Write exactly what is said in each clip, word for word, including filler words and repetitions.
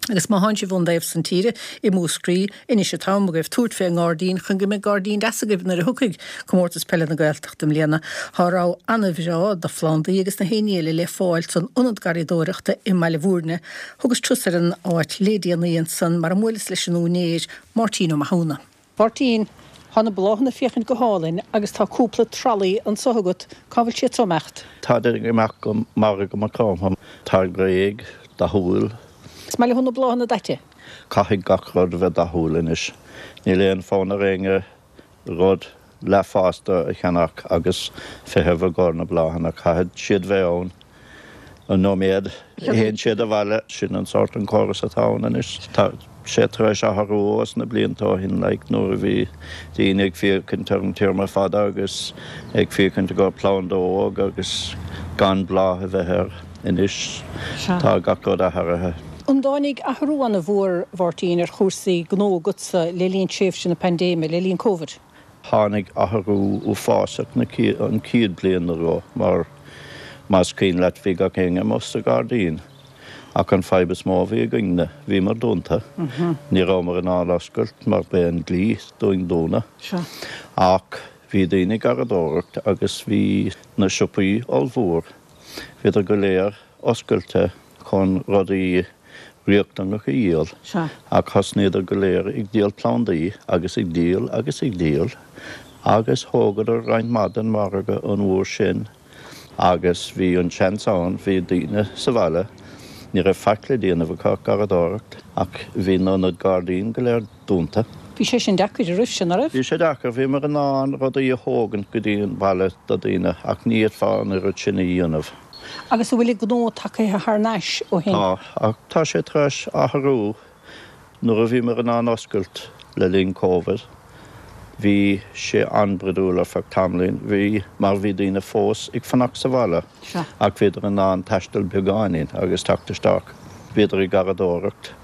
Agus má thánn sibh ón dtaobh san tíre i Múscraí, anois an t-am agaibh tabhairt fé an ngairdín chun go mbeidh gairdín deas agaibh nuair a thiocfaidh Comórtas Peile na Gaeltachta i mbliana. Tá rogha an-bhreá de phlandaí agus na héinní eile le fáil san Ionad Garraíodóireachta i mBaile Bhúirne. Thugas turas ar an áit le déanaí ansan mar a mbuaileas leis an úinéir, Máirtín Ó Mathúna. Máirtín, Tá na bláthanna ag féachaint go hálainn agus tá cúpla tralaí anso agat, cá bhfuil siad so ag imeacht? Táid ag imeacht go Margadh Maigh Chromtha. Táid réidh, dathúil. Is maith leat na bláthanna daite? Caithfidh gach rud a bheith dathúil anois. Níl aon fonn ar éinne rud leathfhásta a cheannach agus feitheamh i gcomhair na bláthanna. Caithfidh siad bheith ann an nóiméad a théann siad abhaile. Sin an sórt an córas atá ann anois. Tá sé tar éis athrú ós na blianta ó shin like nuair a bhí daoine ag féachaint ar an téarma fada agus ag féachaint i gcomhair planda óg agus gan bláth a bheith air. Anois tá gach rud athraithe. An dtáinig athrú an-mhór, a Mháirtín, ar chúrsaí gnó agatsa le linn tréimhse na paindéime, le linn Covid? Tháinig athrú uafásach na an chéad bliain nó dhó mar más cuimhin leat bhí gach éinne amuigh sa ghairdín ach an fadhb is mó a bhí againne, bhíomar dúnta. Ní rabhamar in ann oscailt mar b'é an dlí dúinn dúnadh. Ach bhí daoine ag garraíodóireacht agus bhí na siopaí ollmhór, bhíodar go léir oscailte chun rudaí riachtanach a dhíol, ach thosnaíodar go léir ag díol plandaí agus ag díol agus ag díol agus thógadar roinnt mhaith den mhargadh an uair sin agus bhí an seans ann, bhí daoine sa bhaile, ní raibh faic le déanamh acu ach garraíodóireacht ach bhí na hionaid gairdín go léir dúnta. Bhí sé sin deacair, an raibh sé, ná raibh? Bhí sé deacair, bhíomar in ann rudaí a thógaint go dtí an baile do daoine ach ní fhéadfá an oiread sin a dhéanamh. Agus an bhfuil an gnó tagaithe thar n-ais ó shin? Tá, ach tá sé tar éis athrú. Nuair a bhíomar in ann oscailt le linn Covid, bhí sé an-bhroidiúil ar feadh tamaillín. Bhí, mar bhí daoine fós ag fanacht sa bhaile ach bhíodar in ann taisteal beagáinín agus teacht isteach. Bhíodar ag garraíodóireacht.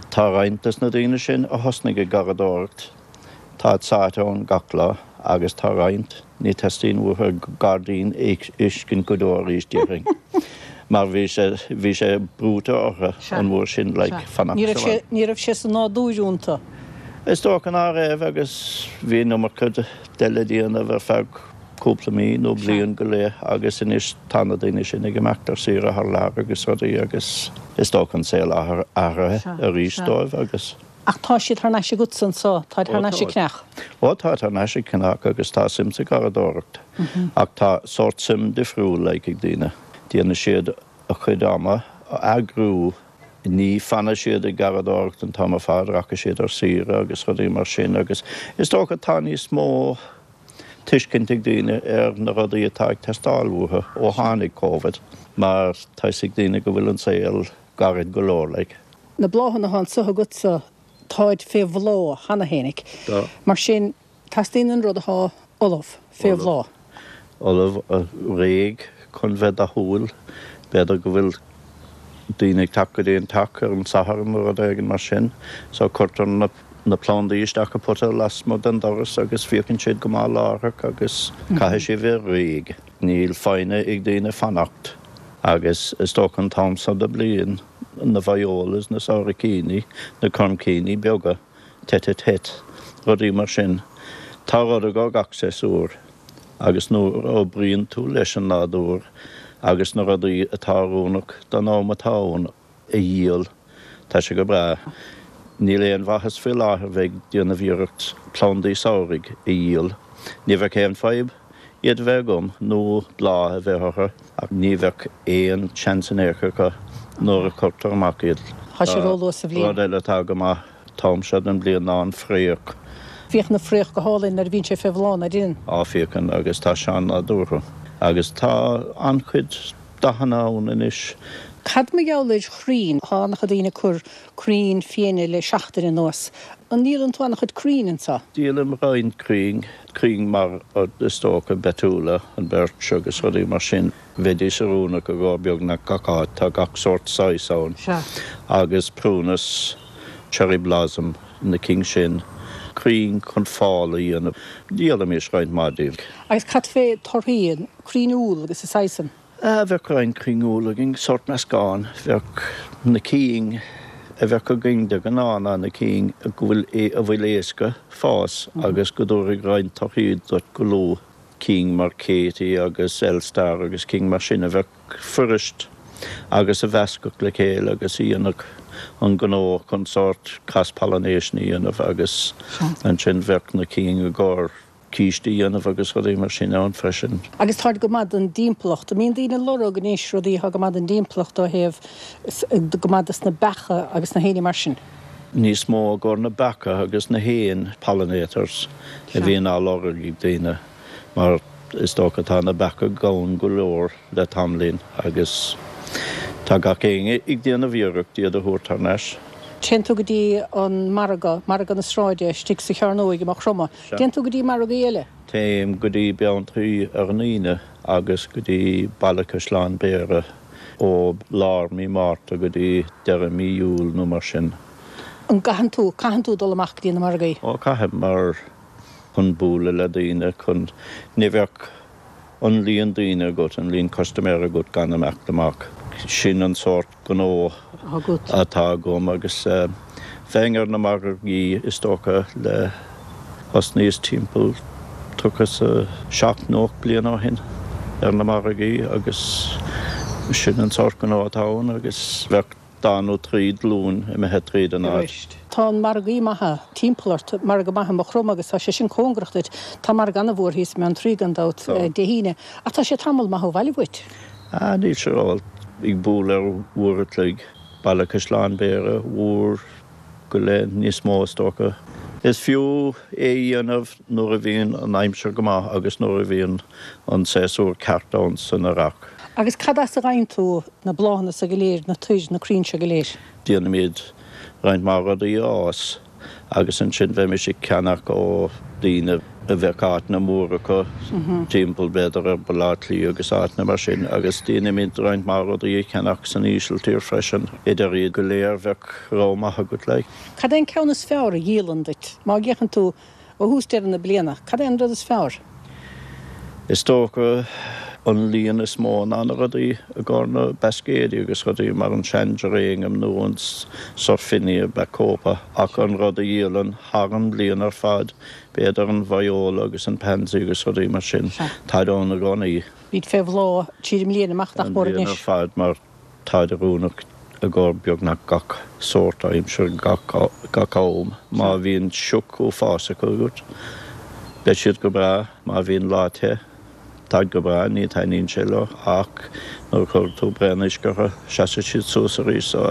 Tá roinnt des na daoine sin a thosnaigh ag garraíodóireacht, táid sáite ann gach lá agus tá roinnt, ní teastaíonn uathu gairdín a fheiscint go deo arís, déarfainn, mar bhí sé, bhí sé brúite orthu an uair sin like fanacht Ní raibh sé, ní raibh sé sa nádúr iontu. Is dócha ná raibh agus bhí an iomarca de le déanamh ar feadh cúpla mí nó bliain go leith agus anois tá na daoine sin ag imeacht ar saoire thar lear agus rudaí agus is dócha an saol athraithe arís dóibh agus. Ach tá siad thar n-ais agatsa anso, táid thar n-ais ag Cneach. Ó táid thar n-ais ag Cneach agus tá suim sa gharraíodóireacht. Ach tá sórt suim difriúil like ag daoine. Déanann siad a chuid ama a eagrú, ní fanfaidh siad ag garraíodóireacht an t-am ar fad, rachaidh siad ar saoire agus rudaí mar sin agus is dócha tá níos mó tuiscint ag daoine ar na rudaí atá ag teastáil uathu ó tháinig Covid mar tá fhios ag daoine go bhfuil an saol gairid go leor like. Na bláthanna atá anso agatsa, táid fé bhláth cheana fhéinig. Tá. Mar sin, teastaíonn an rud atá ullamh, fé bhláth. Ullamh, réidh chun bheith dathúil. B'fhéidir go bhfuil daoine ag teacht go dtí an teach ar an Satharn nó rud éigin mar sin, so cuirtear na na plandaí isteach i pota lasmuigh den doras agus féachann siad go maith láithreach agus caithfidh sé bheith réidh. Níl foighne ag daoine fanacht agus is dócha an t-am seo de bliain, na violas, na sabhaircíní, na coirncíní beaga, tête à tête, rudaí mar sin. Tá rud i gcomhair gach séasúr agus nuair a oibríonn tú leis an nádúr agus na rudaí atá oiriúnach don am atá ann a dhíol, tá sé go breá. Níl aon mhaitheas faoi láthair bheith ag déanamh iarracht plandaí samhraidh a dhíol. Ní bheadh aon fadhb iad a bheith agam nó bláth a bheith orthu ach ní bheadh aon seans in aon chor acu nuair a chuirtear amach iad. Tá sé róluath sa bhliain. Rud eile atá go maith t-am seo den bhliain ná an fraoch. Féachann an fraoch go hálainn nuair a bhíonn sé fé bhláth, ná deineann? Á, féachann agus tá sé an-nádúrtha agus tá an-chuid dathanna ann anois. Cad mar gheall ar chrainn? Tá an-chuid daoine ag cur crainn fiaine le seachtain anuas. An ndíolann tú an-chuid crainn anseo? Díolaim roinnt crainn, crainn mar is dócha betula, an birch agus rudaí mar sin. Bheidís oiriúnach i gcomhair beagnach gach áit, tá gach sórt saghas ann. Agus prunus, cherry blossom, na cinn sin, crainn chun fál a dhéanamh. Díolaimis roinnt mhaith díobh. Agus cad fé torthaí, crainn úll agus a saghas san? Bheadh roinnt crainn úll againn, sórt meascán. Bheadh na cinn a bheadh againn de ghnáth ná na cinn a bhfuil a bhfuil éasca fás agus go dtabharfaidh roinnt torthaí duit go luath, cinn mar Katie agus Elstar agus cinn mar sin a bheadh fuirist agus a mheascadh le chéile agus a dhéanfadh an gnó chun sórt cross pollination a dhéanamh agus ansin bheadh na cinn i gcomhair císte a dhéanamh agus rudaí mar sin ann freisin. Agus táid go maith don dtimpeallacht. An mbíonn daoine ag lorg anois rudaí atá go maith don dtimpeallacht ó thaobh go maith dos na beacha agus na héin mar sin? Níos mó i gcomhair na beacha agus na héin, pollinators, a bhíonn á lorg ag daoine mar is dócha tá na beacha gann go leor le tamaillín agus tá gach éinne ag déanamh iarracht iad a thabhairt thar n-ais. Téann tú go dtí an margadh, margadh na sráide istigh sa Chearnóig i Maigh Chromtha. Téann tú go dtí margaí eile? Téim go dtí Beanntraí ar an Aoine agus go dtí Baile Caisleáin Bhéarra ó lár mí Márta go dtí deireadh mí Iúil nó mar sin. An gcaitheann tú, caitheann tú dul amach go dtí na margaí? Ó, caithim mar chun bualadh le daoine, chun, ní bheadh an líon daoine agat, an líon custaiméir agat gan imeacht amach. Sin an sórt gnó atá agam agus bheinn ar na margaí is dócha le thosnaíos timpeall tríocha is a seacht nó ocht bliana ó shin ar na margaí agus sin an sórt gnó atá ann agus bheadh dá nó trí glúin imithe tríd an áit. Tá an margaí maithe timpeall ort, margadh maith i Maigh Chromtha agus tá sé sin cóngarach duit. Tá margadh an-mhór thíos i mBeanntraí gan dabht Dé hAoine, ach tá sé tamall maith ó bhaile uait. Ah, níl sé rófhada, ag bualadh ar uair a chloig, Baile Caisleáin Bhéarra, uair go leith níos mó is dócha. Is fiú é a dhéanamh nuair a bhíonn an aimsir go maith agus nuair a bhíonn an séasúr ceart ann san earrach. Agus cad as a bhfaigheann tú na bláthanna so go léir, na toir, na crainn seo go léir? Déanaimid roinnt mhaith rudaí a fhás agus ansin bheimis ag ceannach ó daoine a bheadh áiteanna móra acu timpeall b'fhéidir ar Bhaile Átha Cliath agus áiteanna mar sin agus déanaimid roinnt mhaith rudaí a cheannach san Ísiltír freisin. Idir iad go léir bheadh rogha maith agat like. Cad é an ceann is fearr a dhíolann duit? Má fhéachann tú ó thús deireadh na bliana, cad é an rud is fearr? Is dócha an líon is mó ná na rudaí i gcomhair na bascaeidí agus rudaí mar an sean-geranium nó an surfinia bacopa ach an rud a dhíolann thar an bhliain ar fad, b'fhéidir an viola agus an pansy agus rudaí mar sin, táid ann i gcónaí. Bíd fé bhláth tríd an mbliain amach nach An mór bhliain ar anois. fad mar táid oiriúnach i gcomhair beagnach gach sórt aimsir gach gach am. Má bhíonn sioc uafásach agat, beidh siad go breá, má bhíonn lá te, táid go breá, ní taitníonn sé leo ach nuair a chuireann tú braon uisce orthu, seasfaidh siad suas arís so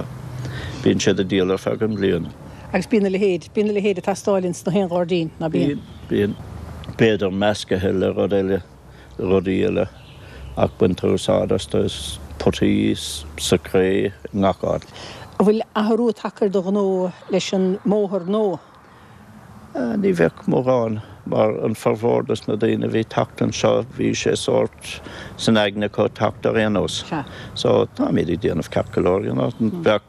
bíonn siad ag díol ar feadh an bhliain. Agus bíonn a leithéid, bíonn a leithéid ag teastáil ins na haon ghairdín, ná bíonn? Bíonn, bíonn. B'fhéidir meascaithe le rud eile, rudaí eile ach baintear úsáid astu is potaí, sa chré, i ngach áit. An bhfuil athrú tagtha ar do ghnó leis an mbóthar nua? Ní bheadh mórán, mar an formhór dos na daoine a bhí teacht anseo, bhí sé sórt san aigne acu teacht ar aon nós. So táimid ag déanamh ceart go leor, you know. Bheadh,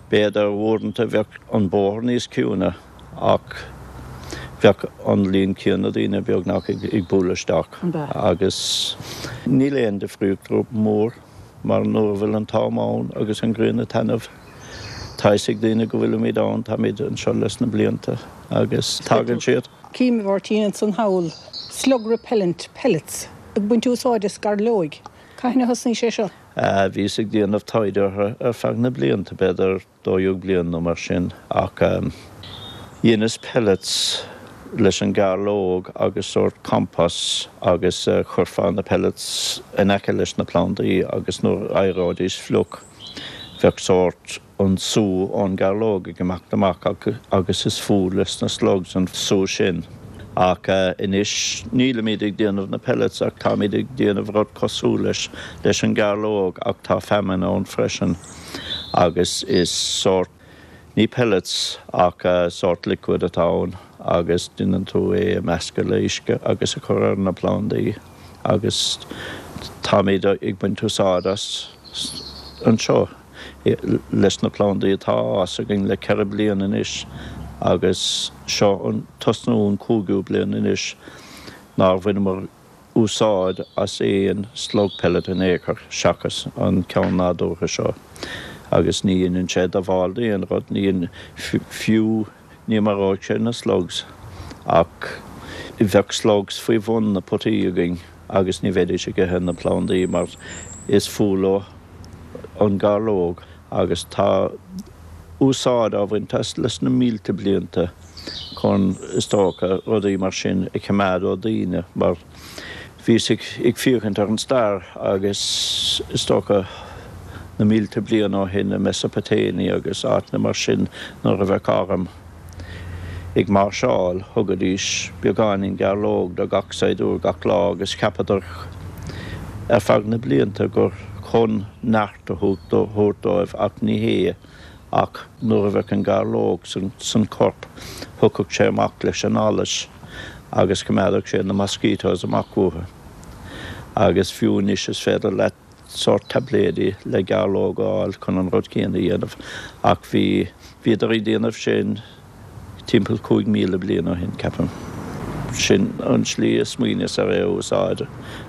b'fhéidir uaireanta bheadh an bóthar níos ciúine ach bheadh an líon céanna daoine beagnach ag ag bualadh isteach agus níl aon difríocht mór mar nuair a bhfuil an t-am ann agus an ghrian ag taitneamh, Tá fhios ag daoine go bhfuilimid ann, táimid anseo leis na blianta agus tagann siad. Cím, a Mháirtín, ansan thall, slug repellent pellets, ag baint úsáid as gairleoig. Cathain a thosnaigh sé seo? Bhíos ag déanamh taighde orthu ar feadh na blianta, b'fhéidir dó dhéag bliain nó mar sin, ach dheineas pellets leis an gairleog agus sórt compost agus chuirfeá na pellets in aice leis na plandaí agus nuair a éireoidís fliuch bheadh sórt an sú ón gairleog ag imeacht amach agus is fuath leis na slugs an sú sin. Ach anois nílimid ag déanamh na pellets ach táimid ag déanamh rud cosúil leis leis an gairleog ach tá feamainn ann freisin agus is sórt, ní pellets ach sórt liquid atá ann agus déanann tú é a meascadh le uisce agus a chur ar na plandaí agus táimid ag baint úsáid as anseo leis na plandaí atá á fhás againn le ceithre bliana anois agus seo an tosnú an cúigiú bliain anois nár bhaineamar úsáid as aon slug pellet in aon chor seachas an ceann nádúrtha seo Agus ní dhéanann sé díobháil d'aon rud, ní fiú ní maróidh sé na slugs ach bheadh slugs faoi bhun na potaí againn agus ní bheidís ag ithe na plandaí mar is fuath leo an gairleog agus tá úsáid á bhaint as leis na mílte blianta chun is dócha rudaí mar sin a choimeád ó daoine mar bhíos ag ag féachaint ar an stair agus is dócha na mílte bliain ó shin i Mesopotamia agus áiteanna mar sin nuair a bheadh arm ag máirseáil thugaidís beagáinín gairleog do gach saighdiúir gach lá agus cheapadar ar feadh na blianta gur chun neart a thabhairt dóibh ach ní hé ach nuair a bheadh an gairleog san san corp thiocfadh sé amach leis an allas agus choimeádfadh sé na mosquitoes amach uathu. Agus fiú anois is féidir leat sórt taibléidí le gairleog a fháil chun an rud céanna a dhéanamh ach bhí bhíodar ag déanamh sin timpeall cúig míle bliain ó shin ceapaim. Sin an slí a smaoiníos ar é a úsáid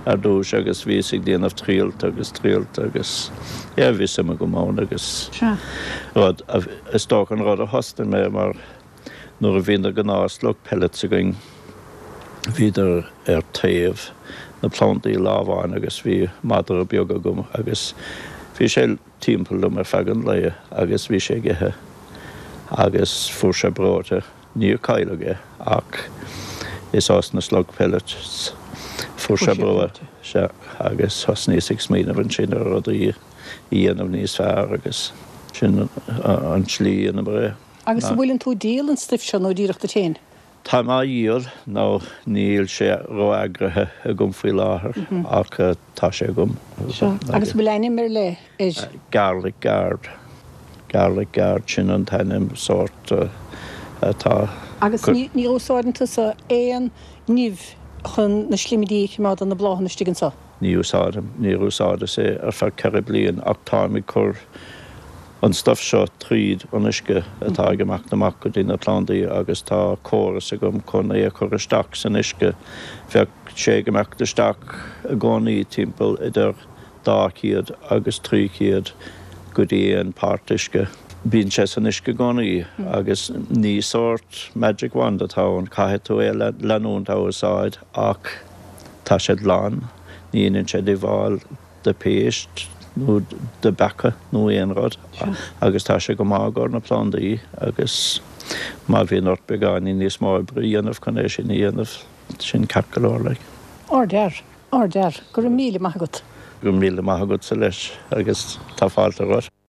ar dtús agus bhíos ag déanamh trialta agus trialta agus yeah bhí suim agam ann agus rud is dócha an rud a thosnaigh mé mar nuair a bhí na gnáth slug pellets againn bhíodar ar taobh na plandaí lá amháin agus bhí madra beag agam agus bhí sé timpeall liom ar feadh an lae agus bhí sé ag ithe agus fuair sé breoite níor cailleadh é ach is as na slug pellets fuair sé breoite sea agus thosnaíos ag smaoineamh ansin ar rudaí a dhéanamh níos fearr agus sin an tslí ina é. Agus an bhfuileann tú ag díol an stuif seo nó díreach duit féin? Táim á dhíol nó níl sé ró-eagraithe agam faoi láthair ach tá sé agam. Sea. Agus an bhfuil ainm ar leith air? Garlic Guard. Garlic Guard, sin an t-ainm sórt atá. Agus ní úsáideann tusa aon nimh chun na slimidí a choimeád ar na bláthanna istigh anseo? Ní úsáidim. Níor úsáideas é ar feadh ceithre bliain ach táim ag cur an stuif seo tríd an uisce atá ag imeacht amach go dtí na plandaí agus tá córas agam chun é a chur isteach san uisce. Bheadh sé ag imeacht isteach i gcónaí timpeall idir dhá chéad agus trí chéad go dtí aon páirt uisce. Bíonn sé san uisce i gcónaí agus ní sórt magic wand atá ann, caithfidh tú é a leanúint á úsáid ach tá sé glan, ní dhéanann sé díobháil. do phéist nó do bheacha nó aon rud agus tá sé go maith i gcomhair na plandaí agus má bhíonn ort beagáinín níos mó oibre a dhéanamh chun é sin a dhéanamh, sin ceart go leor like. Ardfhear, ardfhear. Go raibh míle maith agat. Go raibh míle maith agatsa leis agus tá fáilte romhat.